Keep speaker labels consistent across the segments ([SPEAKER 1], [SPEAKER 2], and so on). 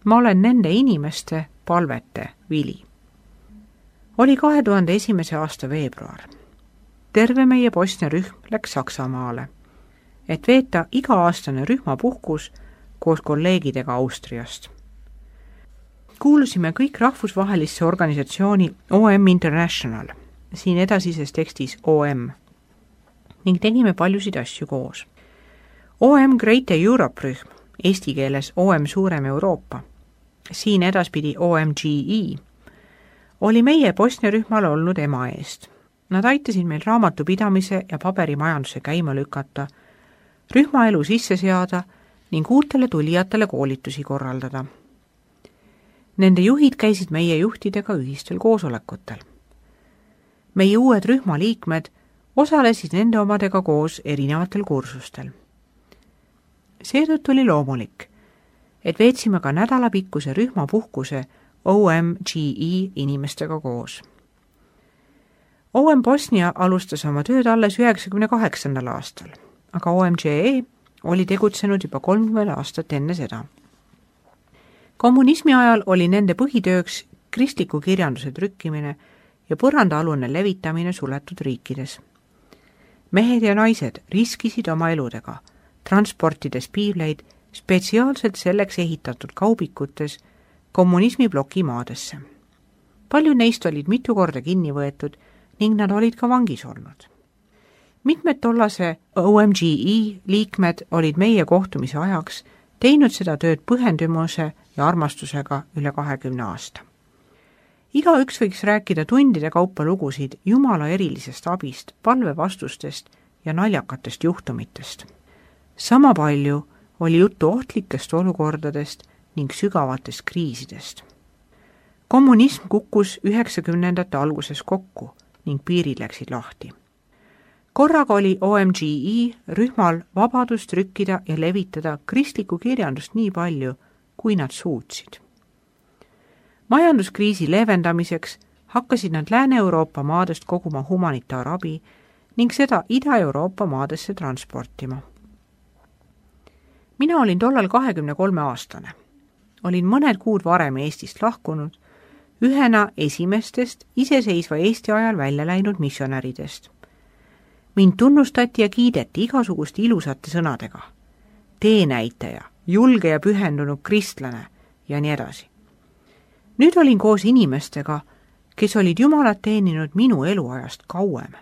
[SPEAKER 1] ma olen nende inimeste palvete vili. Oli 2001. aasta veebruar. Terve meie Bosnia rühm läks Saksamaale, et veeta iga-aastane rühmapuhkus koos kolleegidega Austriast. Kuulusime kõik rahvusvahelisse organisatsiooni OM International, siin edasises tekstis OM, ning tegime paljusid asju koos. OM Great Europe rühm, eesti keeles OM Suurem Euroopa, siin edaspidi OMGE, oli meie Bosnia rühmal olnud ema eest. Nad aitasid meil raamatupidamise ja paberimajanduse käima lükata, rühmaelu sisse seada ning uutele tulijatele koolitusi korraldada. Nende juhid käisid meie juhtidega ühistel koosolekutel. Meie uued rühmaliikmed osalesid nende omadega koos erinevatel kursustel. Seetõttu oli loomulik, et veetsime ka nädalapikkuse rühmapuhkuse OMGE inimestega koos. OM Bosnia alustas oma tööd alles 1998. aastal, aga OMGE oli tegutsenud juba 30 aastat enne seda. Kommunismi ajal oli nende põhitööks kristliku kirjanduse trükkimine ja põrandaalune levitamine suletud riikides. Mehed ja naised riskisid oma eludega, transportides piibleid spetsiaalselt selleks ehitatud kaubikutes kommunismi blokimaadesse. Paljud neist olid mitu korda kinni võetud ning nad olid ka vangis olnud. Mitmed tollase OMGE liikmed olid meie kohtumise ajaks teinud seda tööd pühendumuse ja armastusega üle 20 aasta. Igaüks võiks rääkida tundide kaupa lugusid Jumala erilisest abist, palvevastustest ja naljakatest juhtumitest. Sama palju oli juttu ohtlikest olukordadest ning sügavatest kriisidest. Kommunism kukkus 90ndate alguses kokku ning piirid läksid lahti. Korraga oli OMGE rühmal vabadust trükkida ja levitada kristlikku kirjandust nii palju, kui nad suutsid. Majanduskriisi leevendamiseks hakkasid nad Lääne-Euroopa maadest koguma humanitaarabi ning seda Ida-Euroopa maadesse transportima. Mina olin tollal 23-aastane. Olin mõned kuud varem Eestist lahkunud, ühena esimestest iseseisva Eesti ajal välja läinud missionäridest. Mind tunnustati ja kiideti igasuguste ilusate sõnadega. Teenäitaja, julge ja pühendunud kristlane ja nii edasi. Nüüd olin koos inimestega, kes olid Jumalat teeninud minu eluajast kauem.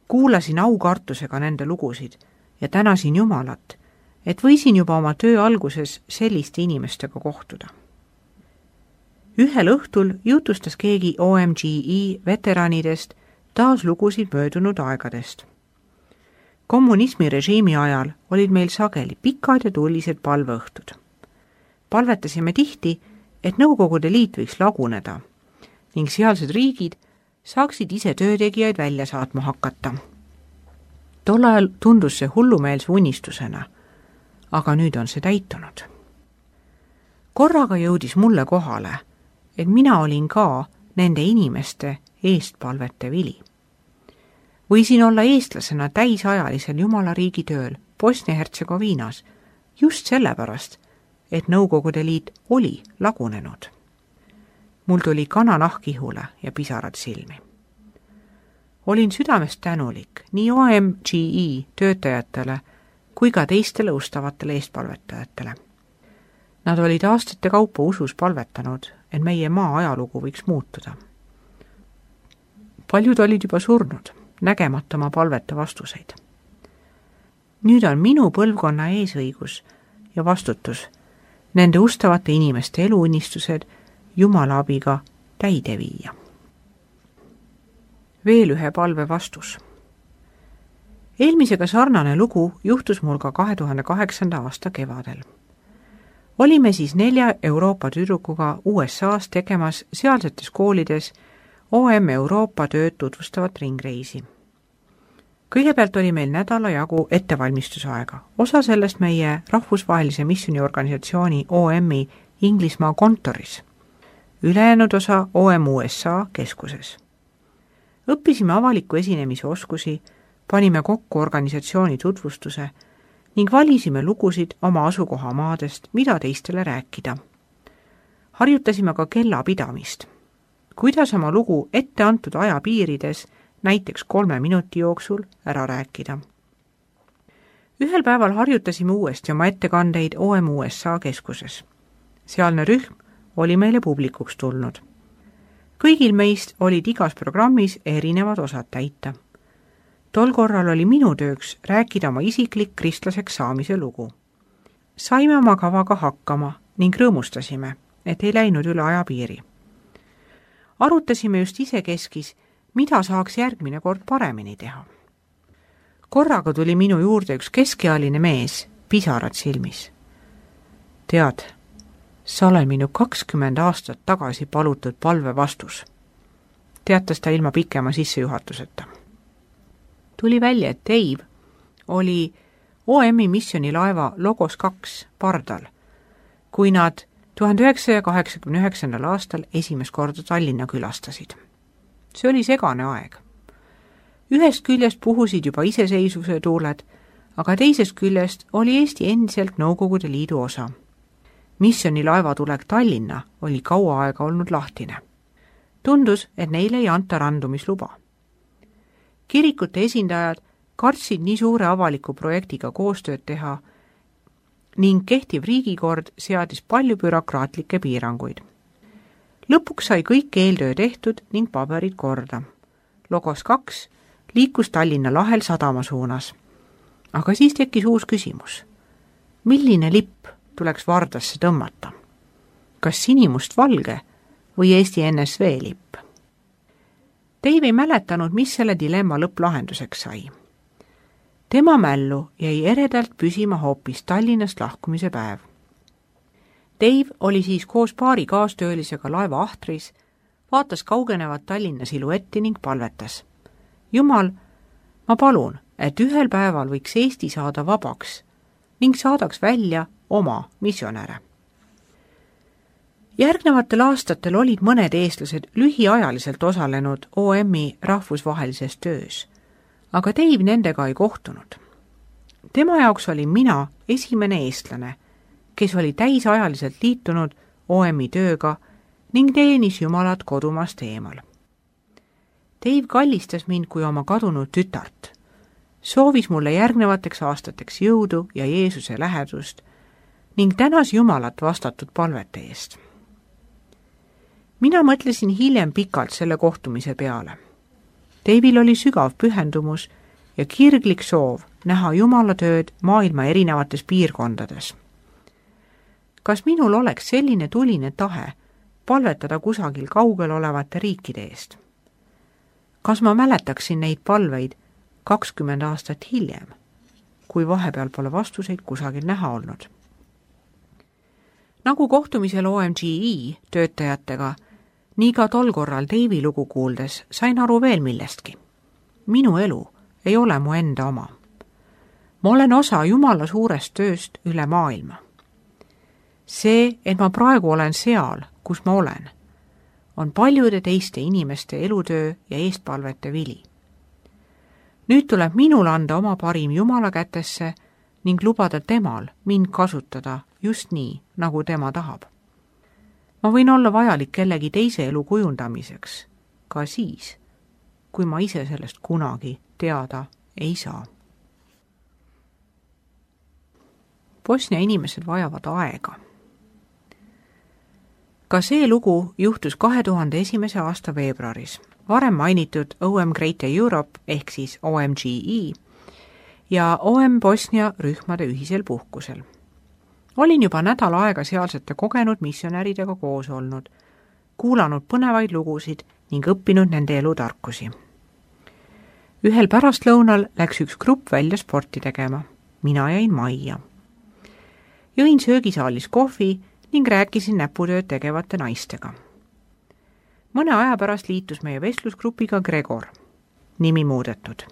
[SPEAKER 1] Kuulasin aukartusega nende lugusid ja tänasin Jumalat, et võisin juba oma töö alguses selliste inimestega kohtuda. Ühel õhtul jutustas keegi OMGE veteranidest taas lugusid möödunud aegadest. Kommunismi režiimi ajal olid meil sageli pikad ja tulised palveõhtud. Palvetasime tihti, et Nõukogude Liit võiks laguneda ning sealsed riigid saaksid ise töötegijaid välja saatma hakata. Tol ajal tundus see hullumeelse unistusena, aga nüüd on see täitunud. Korraga jõudis mulle kohale, et mina olin ka nende inimeste eestpalvete vili. Võisin olla eestlasena täisajalisel Jumala riigi tööl Bosnia-Hertsegoviinas just sellepärast, et Nõukogude Liit oli lagunenud. Mul tuli kananahk ihule ja pisarad silmi. Olin südamest tänulik nii OMGE töötajatele kui ka teistele ustavatele eestpalvetajatele. Nad olid aastate kaupa usus palvetanud, et meie maa ajalugu võiks muutuda. Paljud olid juba surnud, nägemata oma palvete vastuseid. Nüüd on minu põlvkonna eesõigus ja vastutus nende ustavate inimeste eluunistused Jumala abiga täide viia. Veel ühe palve vastus. Eelmisega sarnane lugu juhtus mul ka 2008. aasta kevadel. Olime siis 4 Euroopa tüdrukuga USA's tegemas sealsetes koolides OM Euroopa tööd tutvustavat ringreisi. Kõigepealt oli meil nädala jagu ettevalmistusaega. Osa sellest meie rahvusvahelise missioniorganisatsiooni OM-i Inglismaa kontoris. Ülejäänud osa OM USA keskuses. Õppisime avaliku esinemise oskusi, panime kokku organisatsiooni tutvustuse ning valisime lugusid oma asukohamaadest, mida teistele rääkida. Harjutasime ka kellapidamist. Kuidas oma lugu ette antud aja piirides, näiteks 3 minuti jooksul, ära rääkida. Ühel päeval harjutasime uuesti oma ettekandeid OM USA keskuses. Sealne rühm oli meile publikuks tulnud. Kõigil meist olid igas programmis erinevad osad täita. Tol korral oli minu tööks rääkida oma isiklik kristlaseks saamise lugu. Saime oma kavaga hakkama ning rõõmustasime, et ei läinud üle ajapiiri. Arutasime just isekeskis, mida saaks järgmine kord paremini teha. Korraga tuli minu juurde üks keskealine mees, pisarad silmis. Tead, sa oled minu 20 aastat tagasi palutud palve vastus. Teatas ta ilma pikema sissejuhatuseta. Tuli välja, et Dave oli OM-i missionilaeva Logos 2 pardal, kui nad 1989. aastal esimest korda Tallinna külastasid. See oli segane aeg. Ühest küljest puhusid juba iseseisvuse tuuled, aga teisest küljest oli Eesti endiselt Nõukogude Liidu osa. Missionilaeva tulek Tallinna oli kaua aega olnud lahtine. Tundus, et neile ei anta randumisluba. Kirikute esindajad kartsid nii suure avaliku projektiga koostööd teha ning kehtiv riigikord seadis palju bürokraatlikke piiranguid. Lõpuks sai kõik eeltöö tehtud ning paberid korda. Logos 2 liikus Tallinna lahel sadama suunas. Aga siis tekkis uus küsimus. Milline lipp tuleks Vardasse tõmmata? Kas sinimustvalge või Eesti NSV lipp? Dave ei mäletanud, mis selle dilemma lõpplahenduseks sai. Tema mällu jäi eredalt püsima hoopis Tallinnast lahkumise päev. Dave oli siis koos paari kaastöölisega laeva ahtris, vaatas kaugenevat Tallinna siluetti ning palvetas. Jumal, ma palun, et ühel päeval võiks Eesti saada vabaks ning saadaks välja oma missionäre. Järgnevatel aastatel olid mõned eestlased lühiajaliselt osalenud OM-i rahvusvahelises töös, aga Dave nendega ei kohtunud. Tema jaoks oli mina esimene eestlane, kes oli täisajaliselt liitunud OM-i tööga ning teenis Jumalat kodumast eemal. Dave kallistas mind kui oma kadunud tütart, soovis mulle järgnevateks aastateks jõudu ja Jeesuse lähedust ning tänas Jumalat vastatud palvete eest. Mina mõtlesin hiljem pikalt selle kohtumise peale. Dave'il oli sügav pühendumus ja kirglik soov näha Jumala tööd maailma erinevates piirkondades. Kas minul oleks selline tuline tahe palvetada kusagil kaugel olevate riikide eest? Kas ma mäletaksin neid palveid 20 aastat hiljem, kui vahepeal pole vastuseid kusagil näha olnud? Nagu kohtumisel OMGE töötajatega, nii ka tol korral Dave'i lugu kuuldes sain aru veel millestki. Minu elu ei ole mu enda oma. Ma olen osa Jumala suurest tööst üle maailma. See, et ma praegu olen seal, kus ma olen, on paljude teiste inimeste elutöö ja eestpalvete vili. Nüüd tuleb minul anda oma parim Jumala kätesse ning lubada temal mind kasutada just nii, nagu tema tahab. Ma võin olla vajalik kellegi teise elu kujundamiseks, ka siis, kui ma ise sellest kunagi teada ei saa. Bosnia inimesed vajavad aega. Ka see lugu juhtus 2001. aasta veebruaris, varem mainitud OM Greater Europe ehk siis OMGE ja OM Bosnia rühmade ühisel puhkusel. Olin juba nädal aega sealsete kogenud missionäridega koos olnud, kuulanud põnevaid lugusid ning õppinud nende elutarkusi. Ühel pärastlõunal läks üks grupp välja sporti tegema. Mina jäin majja. Jõin söögisaalis kohvi ning rääkisin näputööd tegevate naistega. Mõne aja pärast liitus meie vestlusgrupiga Gregor, nimi muudetud.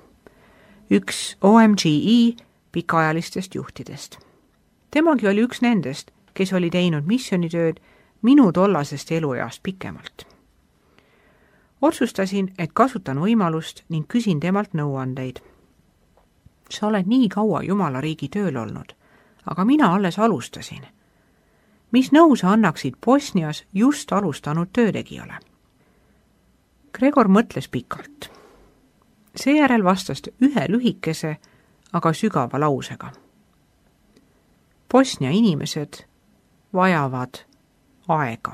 [SPEAKER 1] Üks OMGE pikaajalistest juhtidest. Temagi oli üks nendest, kes oli teinud missionitööd minu tollasest elueast pikemalt. Otsustasin, et kasutan võimalust ning küsin temalt nõuandeid. Sa oled nii kaua Jumala riigi tööl olnud, aga mina alles alustasin. mis nõu sa annaksid Bosnias just alustanud töötegijale? Gregor mõtles pikalt. Seejärel vastas ühe lühikese, aga sügava lausega. Bosnia inimesed vajavad aega.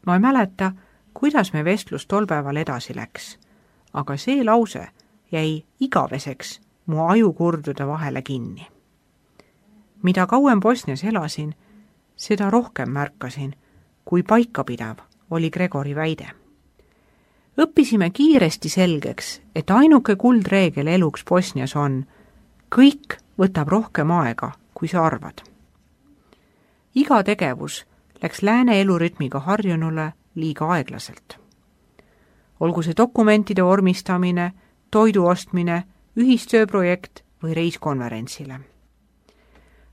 [SPEAKER 1] Ma ei mäleta, kuidas me vestlus tol päeval edasi läks, aga see lause jäi igaveseks mu ajukurdude vahele kinni. Mida kauem Bosnias elasin, seda rohkem märkasin, kui paikapidav oli Gregori väide. Õppisime kiiresti selgeks, et ainuke kuldreegel eluks Bosnias on, kõik võtab rohkem aega, kui sa arvad. Iga tegevus läks lääne elurütmiga harjunule liiga aeglaselt. Olgu see dokumentide vormistamine, toidu ostmine, ühistööprojekt või reis konverentsile.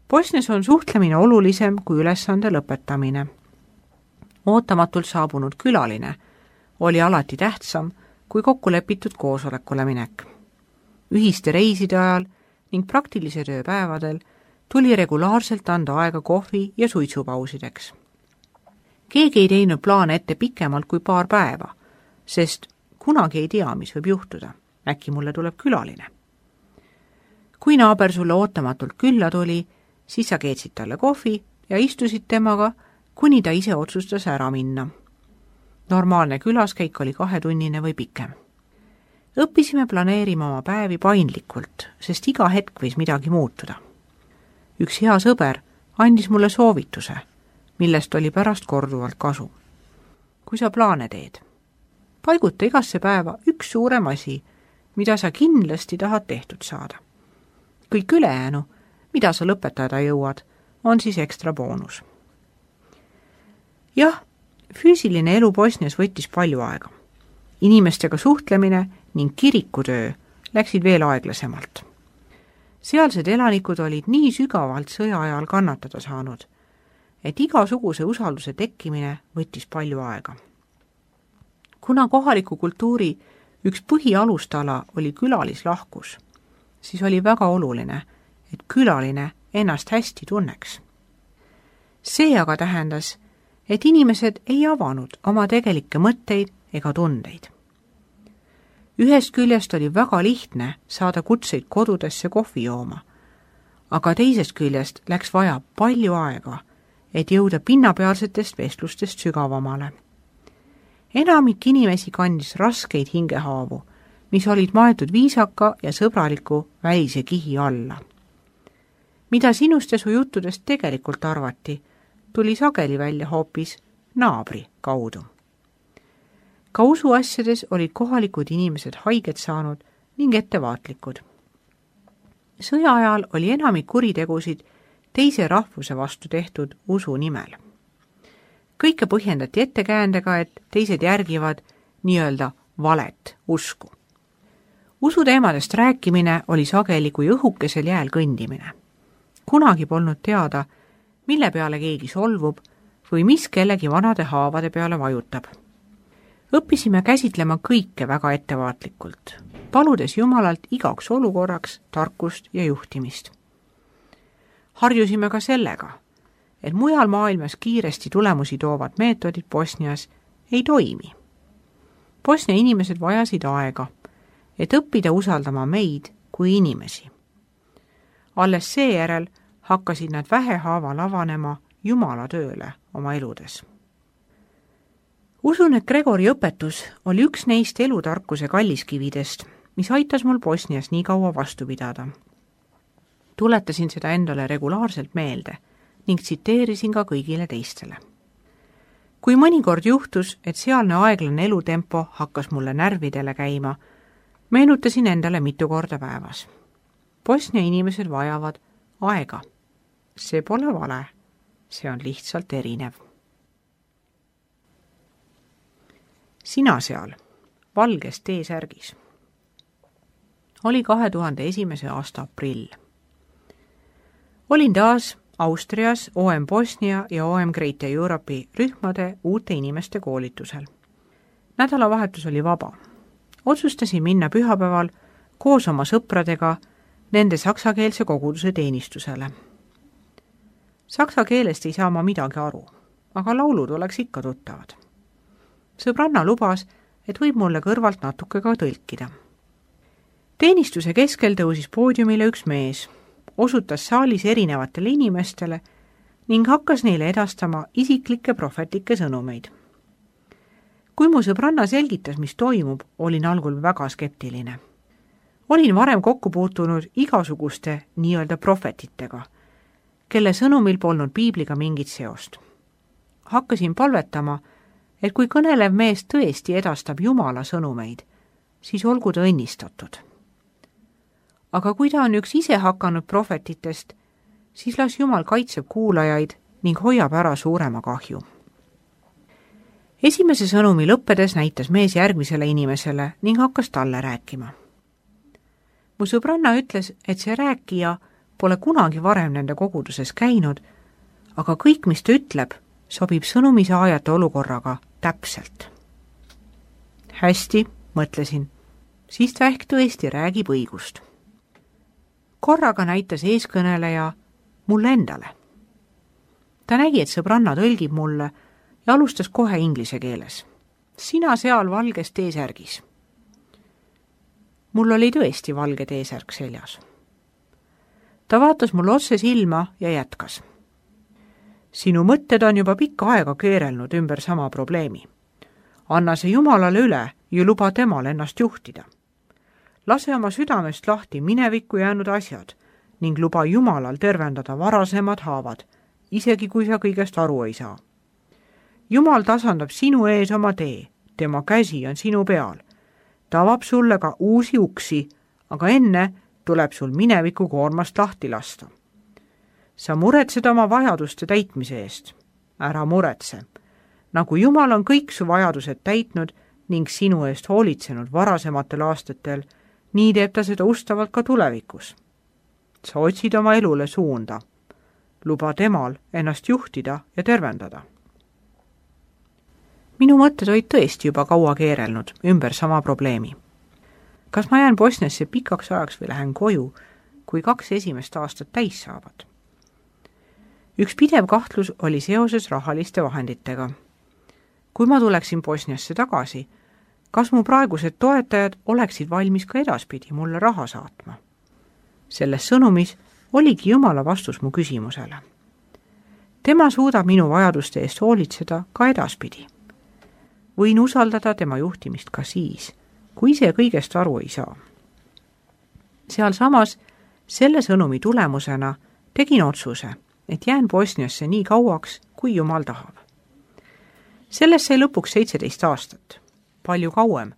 [SPEAKER 1] Bosnias on suhtlemine olulisem kui ülesande lõpetamine. Ootamatult saabunud külaline oli alati tähtsam kui kokkulepitud koosolekule minek. Ühiste reiside ajal ning praktilise tööpäevadel tuli regulaarselt anda aega kohvi- ja suitsupausideks. Keegi ei teinud plaane ette pikemalt kui paar päeva, sest kunagi ei tea, mis võib juhtuda. Äkki mulle tuleb külaline. Kui naaber sulle ootamatult külla tuli, siis sa keetsid talle kohvi ja istusid temaga, kuni ta ise otsustas ära minna. Normaalne külaskäik oli 2-tunnine või pikem. Õppisime planeerima oma päevi paindlikult, sest iga hetk võis midagi muutuda. Üks hea sõber andis mulle soovituse, millest oli pärast korduvalt kasu. Kui sa plaane teed, paiguta igasse päeva üks suurem asi, mida sa kindlasti tahad tehtud saada. Kõik ülejäänu, mida sa lõpetada jõuad, on siis ekstra boonus. Jah, füüsiline elu Bosnias võttis palju aega. Inimestega suhtlemine ning kirikutöö läksid veel aeglasemalt. Sealsed elanikud olid nii sügavalt sõja ajal kannatada saanud, et igasuguse usalduse tekkimine võttis palju aega. Kuna kohaliku kultuuri üks põhialustala oli külalislahkus, siis oli väga oluline, et külaline ennast hästi tunneks. See aga tähendas, et inimesed ei avanud oma tegelikke mõtteid ega tundeid. Ühest küljest oli väga lihtne saada kutseid kodudesse kohvi jooma, aga teisest küljest läks vaja palju aega, et jõuda pinnapealsetest vestlustest sügavamale. Enamik inimesi kandis raskeid hingehaavu, mis olid maetud viisaka ja sõbraliku välise kihi alla. Mida sinust ja su juttudest tegelikult arvati, tuli sageli välja hoopis naabri kaudu. Ka usuasjades olid kohalikud inimesed haiget saanud ning ettevaatlikud. Sõja ajal oli enamik kuritegusid teise rahvuse vastu tehtud usu nimel. Kõike põhjendati ettekäändega, et teised järgivad nii-öelda valet usku. Usuteemadest rääkimine oli sageli kui õhukesel jääl kõndimine. Kunagi polnud teada, mille peale keegi solvub või mis kellegi vanade haavade peale vajutab. Õppisime käsitlema kõike väga ettevaatlikult, paludes Jumalalt igaks olukorraks tarkust ja juhtimist. Harjusime ka sellega, et mujal maailmas kiiresti tulemusi toovad meetodid Bosnias ei toimi. Bosnia inimesed vajasid aega, et õppida usaldama meid kui inimesi. Alles seejärel hakkasid nad vähehaaval avanema Jumala tööle oma eludes. Usun, et Gregori õpetus oli üks neist elutarkuse kalliskividest, mis aitas mul Bosnias nii kaua vastu pidada. Tuletasin seda endale regulaarselt meelde ning tsiteerisin ka kõigile teistele. Kui mõnikord juhtus, et sealne aeglane elutempo hakkas mulle närvidele käima, meenutasin endale mitu korda päevas. Bosnia inimesed vajavad aega. See pole vale, see on lihtsalt erinev. Sina seal, valges T-särgis. Oli 2001. aasta aprill. Olin taas Austrias OM Bosnia ja OM Greater Europe'i rühmade uute inimeste koolitusel. Nädalavahetus oli vaba. Otsustasin minna pühapäeval koos oma sõpradega nende saksakeelse koguduse teenistusele. Saksa keelest ei saa ma midagi aru, aga laulud oleks ikka tuttavad. Sõbranna lubas, et võib mulle kõrvalt natuke ka tõlkida. Teenistuse keskel tõusis poodiumile üks mees, osutas saalis erinevatele inimestele ning hakkas neile edastama isiklikke prohvetlikke sõnumeid. Kui mu sõbranna selgitas, mis toimub, olin algul väga skeptiline. Olin varem kokku puutunud igasuguste nii-öelda prohvetitega, kelle sõnumil polnud piibliga mingit seost. Hakkasin palvetama, et kui kõnelev mees tõesti edastab Jumala sõnumeid, siis olgu ta õnnistatud. Aga kui ta on üks ise hakanud prohvetitest, siis las Jumal kaitseb kuulajaid ning hoiab ära suurema kahju. Esimese sõnumi lõppedes näitas mees järgmisele inimesele ning hakkas talle rääkima. Mu sõbranna ütles, et see rääkija pole kunagi varem nende koguduses käinud, aga kõik, mis ta ütleb, sobib sõnumi saajate olukorraga täpselt. Hästi, mõtlesin, siis ta ehk tõesti räägib õigust. Korraga näitas eeskõneleja mulle endale. Ta nägi, et sõbranna tõlgib mulle ja alustas kohe inglise keeles. Sina seal valges T-särgis. Mul oli tõesti valge T-särg seljas. Ta vaatas mulle otse silma ja jätkas. Sinu mõtted on juba pikka aega keerelnud ümber sama probleemi. Anna see Jumalale üle ja luba temal ennast juhtida. Lase oma südamest lahti minevikku jäänud asjad ning luba Jumalal tervendada varasemad haavad, isegi kui sa kõigest aru ei saa. Jumal tasandab sinu ees oma tee, tema käsi on sinu peal. Ta avab sulle ka uusi uksi, aga enne tuleb sul mineviku koormast lahti lasta. Sa muretsed oma vajaduste täitmise eest. Ära muretse. Nagu Jumal on kõik su vajadused täitnud ning sinu eest hoolitsenud varasematel aastatel, nii teeb ta seda ustavalt ka tulevikus. Sa otsid oma elule suunda. Luba temal ennast juhtida ja tervendada. Minu mõtted olid tõesti juba kaua keerelnud ümber sama probleemi. Kas ma jään Bosniasse pikaks ajaks või lähen koju, kui 2 esimest aastat täis saavad? Üks pidev kahtlus oli seoses rahaliste vahenditega. Kui ma tuleksin Bosniasse tagasi, kas mu praegused toetajad oleksid valmis ka edaspidi mulle raha saatma? Selles sõnumis oligi Jumala vastus mu küsimusele. Tema suudab minu vajaduste eest hoolitseda ka edaspidi. Võin usaldada tema juhtimist ka siis, kui ise kõigest aru ei saa. Seal samas selle sõnumi tulemusena tegin otsuse, et jään Bosniasse nii kauaks, kui Jumal tahab. Sellest sai lõpuks 17 aastat, palju kauem,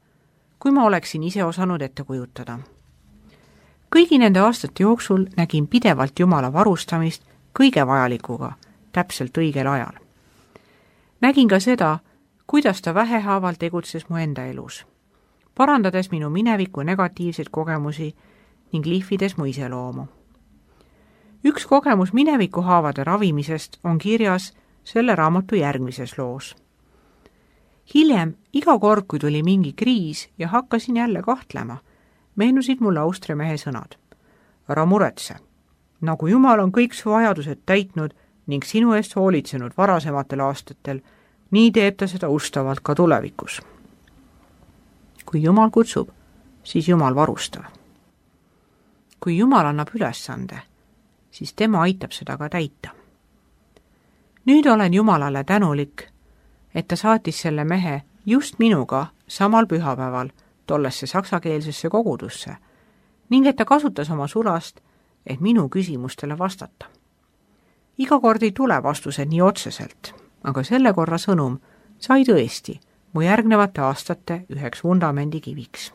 [SPEAKER 1] kui ma oleksin ise osanud ette kujutada. Kõigi nende aastate jooksul nägin pidevalt Jumala varustamist kõige vajalikuga, täpselt õigel ajal. Nägin ka seda, kuidas ta vähehaaval tegutses mu enda elus, parandades minu mineviku negatiivseid kogemusi ning lihvides mu iseloomu. Üks kogemus mineviku haavade ravimisest on kirjas selle raamatu järgmises loos. Hiljem, iga kord, kui tuli mingi kriis ja hakkasin jälle kahtlema, meenusid mulle Austria mehe sõnad. Ära muretse, nagu Jumal on kõik su vajadused täitnud ning sinu eest hoolitsenud varasematel aastatel, nii teeb ta seda ustavalt ka tulevikus. Kui Jumal kutsub, siis Jumal varustab. Kui Jumal annab ülesande, siis tema aitab seda ka täita. Nüüd olen Jumalale tänulik, et ta saatis selle mehe just minuga samal pühapäeval tollesse saksakeelsesse kogudusse ning et ta kasutas oma sulast, et minu küsimustele vastata. Iga kord ei tule vastused nii otseselt, aga selle korra sõnum sai tõesti mu järgnevate aastate üheks vundamendikiviks.